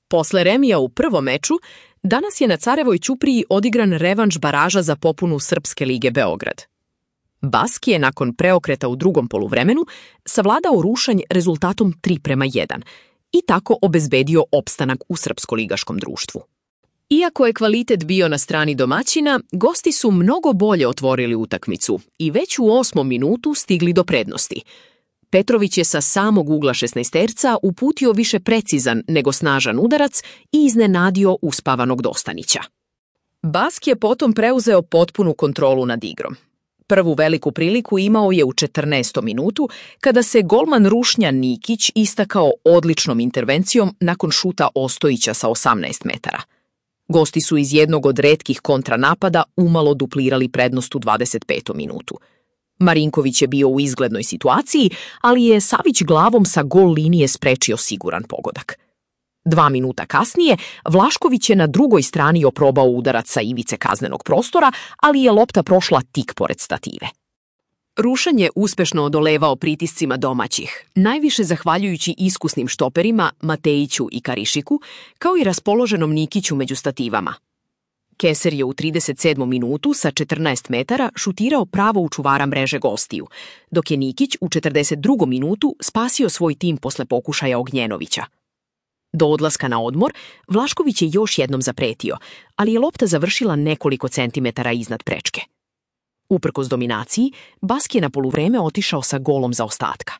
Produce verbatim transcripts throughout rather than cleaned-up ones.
Posle remija u prvom meču, danas je na Carevoj ćupriji odigran revanš baraža za popunu Srpske lige Beograd. Baski je nakon preokreta u drugom poluvremenu savladao Rušanj rezultatom tri prema jedan i tako obezbedio opstanak u srpsko-ligaškom društvu. Iako je kvalitet bio na strani domaćina, gosti su mnogo bolje otvorili utakmicu i već u osmom minutu stigli do prednosti. Petrović je sa samog ugla šesnaesterca uputio više precizan nego snažan udarac i iznenadio uspavanog Dostanića. Baski je potom preuzeo potpunu kontrolu nad igrom. Prvu veliku priliku imao je u četrnaestom minutu, kada se golman Rušnja Nikić istakao odličnom intervencijom nakon šuta Ostojića sa osamnaest metara. Gosti su iz jednog od retkih kontranapada umalo duplirali prednost u dvadeset petom minutu. Marinković je bio u izglednoj situaciji, ali je Savić glavom sa gol linije sprečio siguran pogodak. Dva minuta kasnije, Vlašković je na drugoj strani oprobao udarac sa ivice kaznenog prostora, ali je lopta prošla tik pored stative. Rušanj je uspešno odolevao pritiscima domaćih, najviše zahvaljujući iskusnim štoperima Matejiću i Karišiku, kao i raspoloženom Nikiću među stativama. Keser je u trideset sedmom minutu sa četrnaest metara šutirao pravo u čuvara mreže gostiju, dok je Nikić u četrdeset drugom minutu spasio svoj tim posle pokušaja Ognjenovića. Do odlaska na odmor, Vlašković je još jednom zapretio, ali je lopta završila nekoliko centimetara iznad prečke. Uprkos dominaciji, Baski je na poluvreme otišao sa golom zaostatka.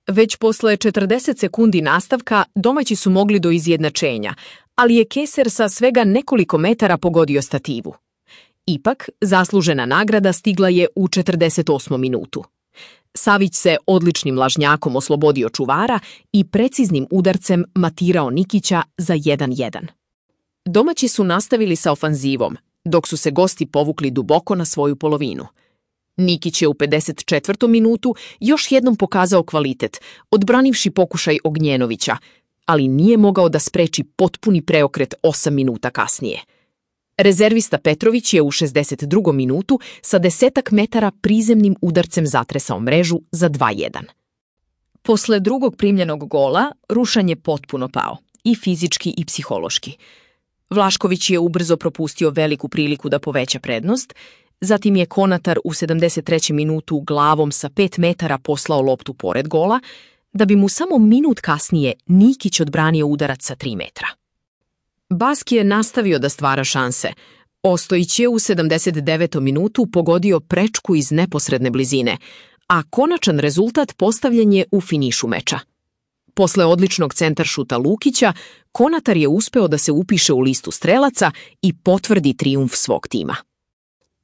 Već posle četrdeset sekundi nastavka domaći su mogli do izjednačenja, ali je Keser sa svega nekoliko metara pogodio stativu. Ipak, zaslužena nagrada stigla je u četrdeset osmom minutu. Savić se odličnim lažnjakom oslobodio čuvara i preciznim udarcem matirao Nikića za jedan jedan. Domaći su nastavili sa ofanzivom, dok su se gosti povukli duboko na svoju polovinu. Nikić je u pedeset četvrtom minutu još jednom pokazao kvalitet, odbranivši pokušaj Ognjenovića, ali nije mogao da spreči potpuni preokret osam minuta kasnije. Rezervista Petrović je u šezdeset drugom minutu sa desetak metara prizemnim udarcem zatresao mrežu za dva jedan. Posle drugog primljenog gola, Rušanj je potpuno pao, i fizički i psihološki. Vlašković je ubrzo propustio veliku priliku da poveća prednost, zatim je Konatar u sedamdeset trećem minutu glavom sa pet metara poslao loptu pored gola, da bi mu samo minut kasnije Nikić odbranio udarac sa tri metra. Baski je nastavio da stvara šanse. Ostojić je u sedamdeset devetom minutu pogodio prečku iz neposredne blizine, a konačan rezultat postavljen je u finišu meča. Posle odličnog centaršuta Lukića, Konatar je uspeo da se upiše u listu strelaca i potvrdi trijumf svog tima.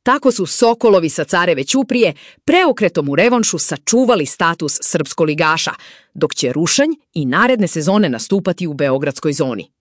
Tako su Sokolovi sa Careve ćuprije preokretom u revanšu sačuvali status srpskoligaša, dok će Rušanj i naredne sezone nastupati u beogradskoj zoni.